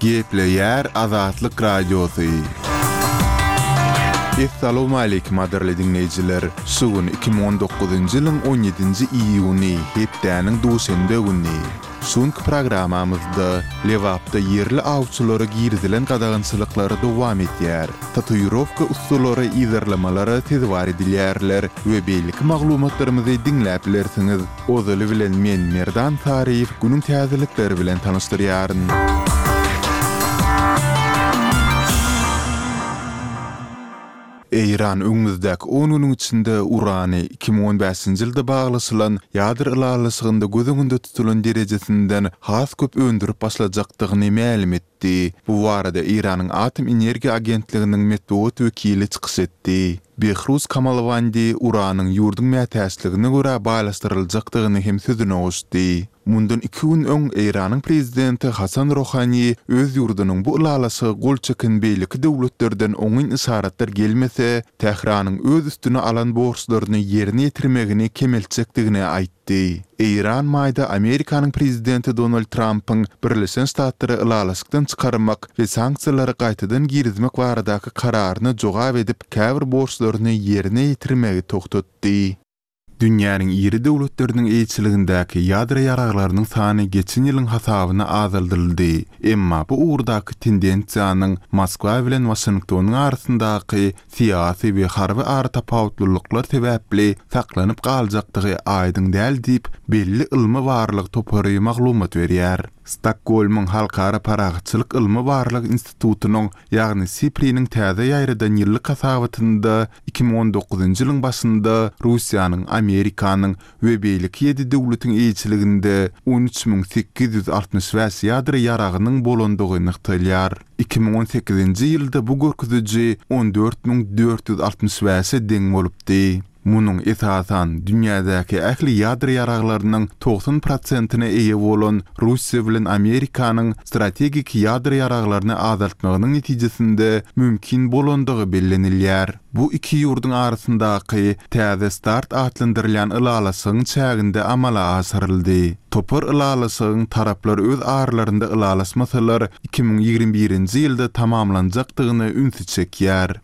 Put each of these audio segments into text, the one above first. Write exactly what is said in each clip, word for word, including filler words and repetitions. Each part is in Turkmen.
Gepleýär Azatlyk Radiosy. Essalawmaleýkim gadyrly diňleýjiler! Şu gün iki müň on dokuzynjy ýylyň on ýedinji iýuny, hepdäniň duşenbe güni. Şu günki programmamyzda Lebapda ýerli awçylara girizilen gadagançylyklar dowam edýär, tatuirowka ussalary yzarlamalara sezewar edilýärler we beýleki maglumatlarymyzy diňläp bilersiňiz. Ozaly bilen men Merdan Saryýew günüň täzelikleri bilen tanyşdyrýaryn. Eýran öňümizdäki on günüň içinde urany iki müň on bäşinji ýylda baglaşylan ýadro ylalaşygynda göz öňünde tutulan derejesinden has köp öndürip başlajakdygyny mälim etdi. Bu barada Eýranyň Atom energiýa agentliginiň metbugat wekili çykyş etdi. Behruz Kamalwandi uranyň ýurduň mätäçligine görä baýlaşdyryljakdygyny hem sözüne goşdy. Mundan iki gün öň Eýranyň prezidenti Hasan Rohani öz ýurdunyň bu ylalaşyga gol çeken beýleki döwletlerden oňyn yşaratlar gelmese, Tähranyň öz üstüne alan borçlaryny ýerine ýetirmegini kemeltjekdigini aýtdy. Eýran maýda Amerikanyň prezidenti Donald Trampyň Birleşen Ştatlary ylalaşykdan çykarmak we sanksiýalary gaýtadan girizmek baradaky kararyna jogap edip, käbir borçlaryny ýerine ýetirmegi togtatdy. Dünýäniň iri döwletleriniň eýeçiligindäki ýadro ýaraglarynyň sany geçen ýylyň hasabyna azaldyldy. Emma bu ugurdaky tendensiýanyň Moskwa bilen Waşingtonyň arasyndaky syýasy we harby aratapawutlylyklar sebäpli saklanyp galjakdygy aýdyň däl diýip, belli ylmy-barlag topary maglumat berýär. Stokgolmyň Halkara parahatçylyk ylmy-barlag institutynyň, ýagny SIPRI-niň täze ýaýradan ýyllyk hasabatynda iki müň on dokuzynjy ýylyň başynda Russiýanyň, Amerikanyň we beýleki ýedi döwletiň eýeçiliginde on üç müň sekiz ýüz altmyş bäş ýadro ýaragynyň bolandygy nygtalýar. Iki müň on sekizinji ýylda bu görkeziji on dört müň dört ýüz altmyş bäşe deň bolupdy. Munuň, esasan, dünýädäki ähli ýadro ýaraglarynyň togsan prosentine eýe bolan Russiýa bilen Amerikanyň strategik ýadro ýaraglaryny azaltmagynyň netijesinde mümkin bolandygy bellenilýär. Bu iki ýurduň arasyndaky Täze start atlandyrylýan ylalaşygyň çäginde amala aşyryldy. Topar ylalaşygyň taraplar öz aralarynda ylalaşmasalar iki müň ýigrimi birinji ýylda tamamlanjakdygyna ünsi çekýär.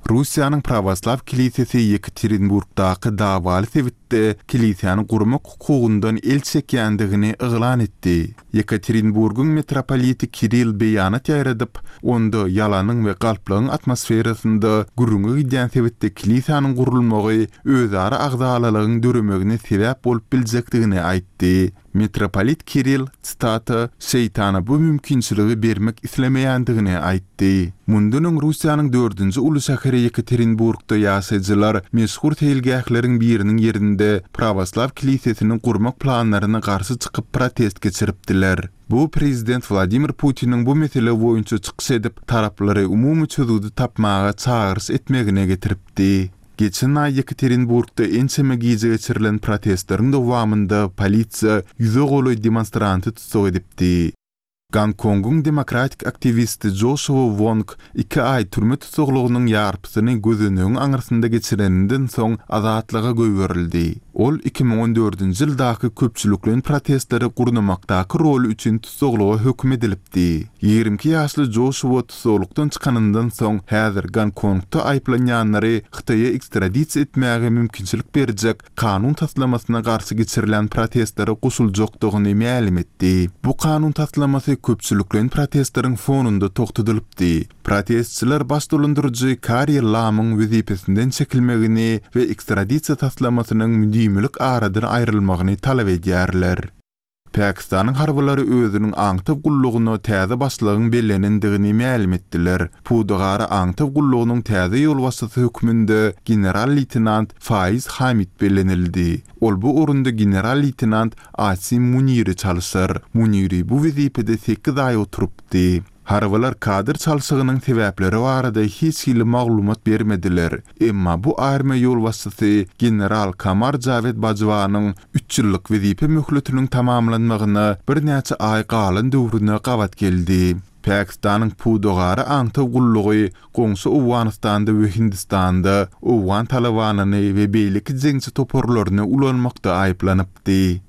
Russiýanyň Prawoslaw kilisesi Ýekaterinburgdaky dawaly sebitde kilisäni gurmak hukugyndan el çekýändigini yglan etdi. Ýekaterinburgyň mitropoliti Kirill beýanat ýaýradyp, onda ýalanyň we galplygyň atmosferasynda gürrüňi gidýän sebitde kilisäniň gurulmagy özara agzalalygyň döremegine sebäp bolup biljekdigini aýtdy. Mitropolit Kirill, citata, şeýtana bu mümkinçiligi bermek islemeýändigini aýtdy. Mundan öň Russiýanyň dördünji uly şäheri Ýekaterinburgda ýaşaýjylar meşhur seýilgähleriň biriniň ýerinde prawoslaw kilisesini gurmak planlaryna garşy çykyp protest geçiripdiler. Bu prezident Wladimir Putiniň bu mesele boýunça çykyş edip, taraplary umumy çözgüdi tapmaga çagyryş etmegine getiripdi. Geçen aý Ýekaterinburgda ençeme gije geçirilen protestleriň dowamynda polisiýa ýüze golaý demonstranty tussag edipdi. Gonkongyň demokratik aktiwisti Joşua Wong iki aý türme tussaglygynyň ýarpysyny gözenegiň aňyrsynda geçireninden soň azatlyga goýberildi. Ol iki müň on dördünji ýyldaky köpçülikleýin protestleri gurnamakdaky roly üçin tussaglyga höküm edilipdi. Ýigrimi iki ýaşly Joşua tussaglykdan çykanyndan soň häzir Gonkongda aýyplanýanlary Hytaýa ekstradisiýa etmäge mümkinçilik berjek kanun taslamasyna garşy geçirilen protestlere goşuljakdygyny mälim etdi. Bu kanun taslamasy köpçülikleýin protestleriň fonunda togtadylypdy. Protestçiler baş dolandyryjy Karri Lamyň wezipesinden çekilmegini we ekstradisiýa taslamasynyň müdimilik aradan aýrylmagyny talap edýärler. Pakistanyň harbylary özüniň aňtaw gullugyna täze başlygyň bellenendigini mälim etdiler. Pudagara aňtaw gullugynyň täze ýolbaşçysy hökmünde general-leýtenant Faiz Hamid bellenildi. Ol bu orunda general-leýtenant Asim Muniri çalşar. Muniri bu wezipede sekiz aý oturypdy. Harbylar kadr çalşygynyň sebäpleri barada hiç hili maglumat bermediler. Emma bu armiýa ýolbaşçysy general Kamar Jawed Bajwanyň üç ýyllyk wezipe möhletiniň tamamlanmagyna birnäçe aý galan döwrüne gabat geldi. Pakistanyň pudagara aňtaw gullugy goňşy Owganystanda we Hindistanda owgan talabanyny we beýleki jeňçi toparlaryny ulanmakda aýyplanypdy.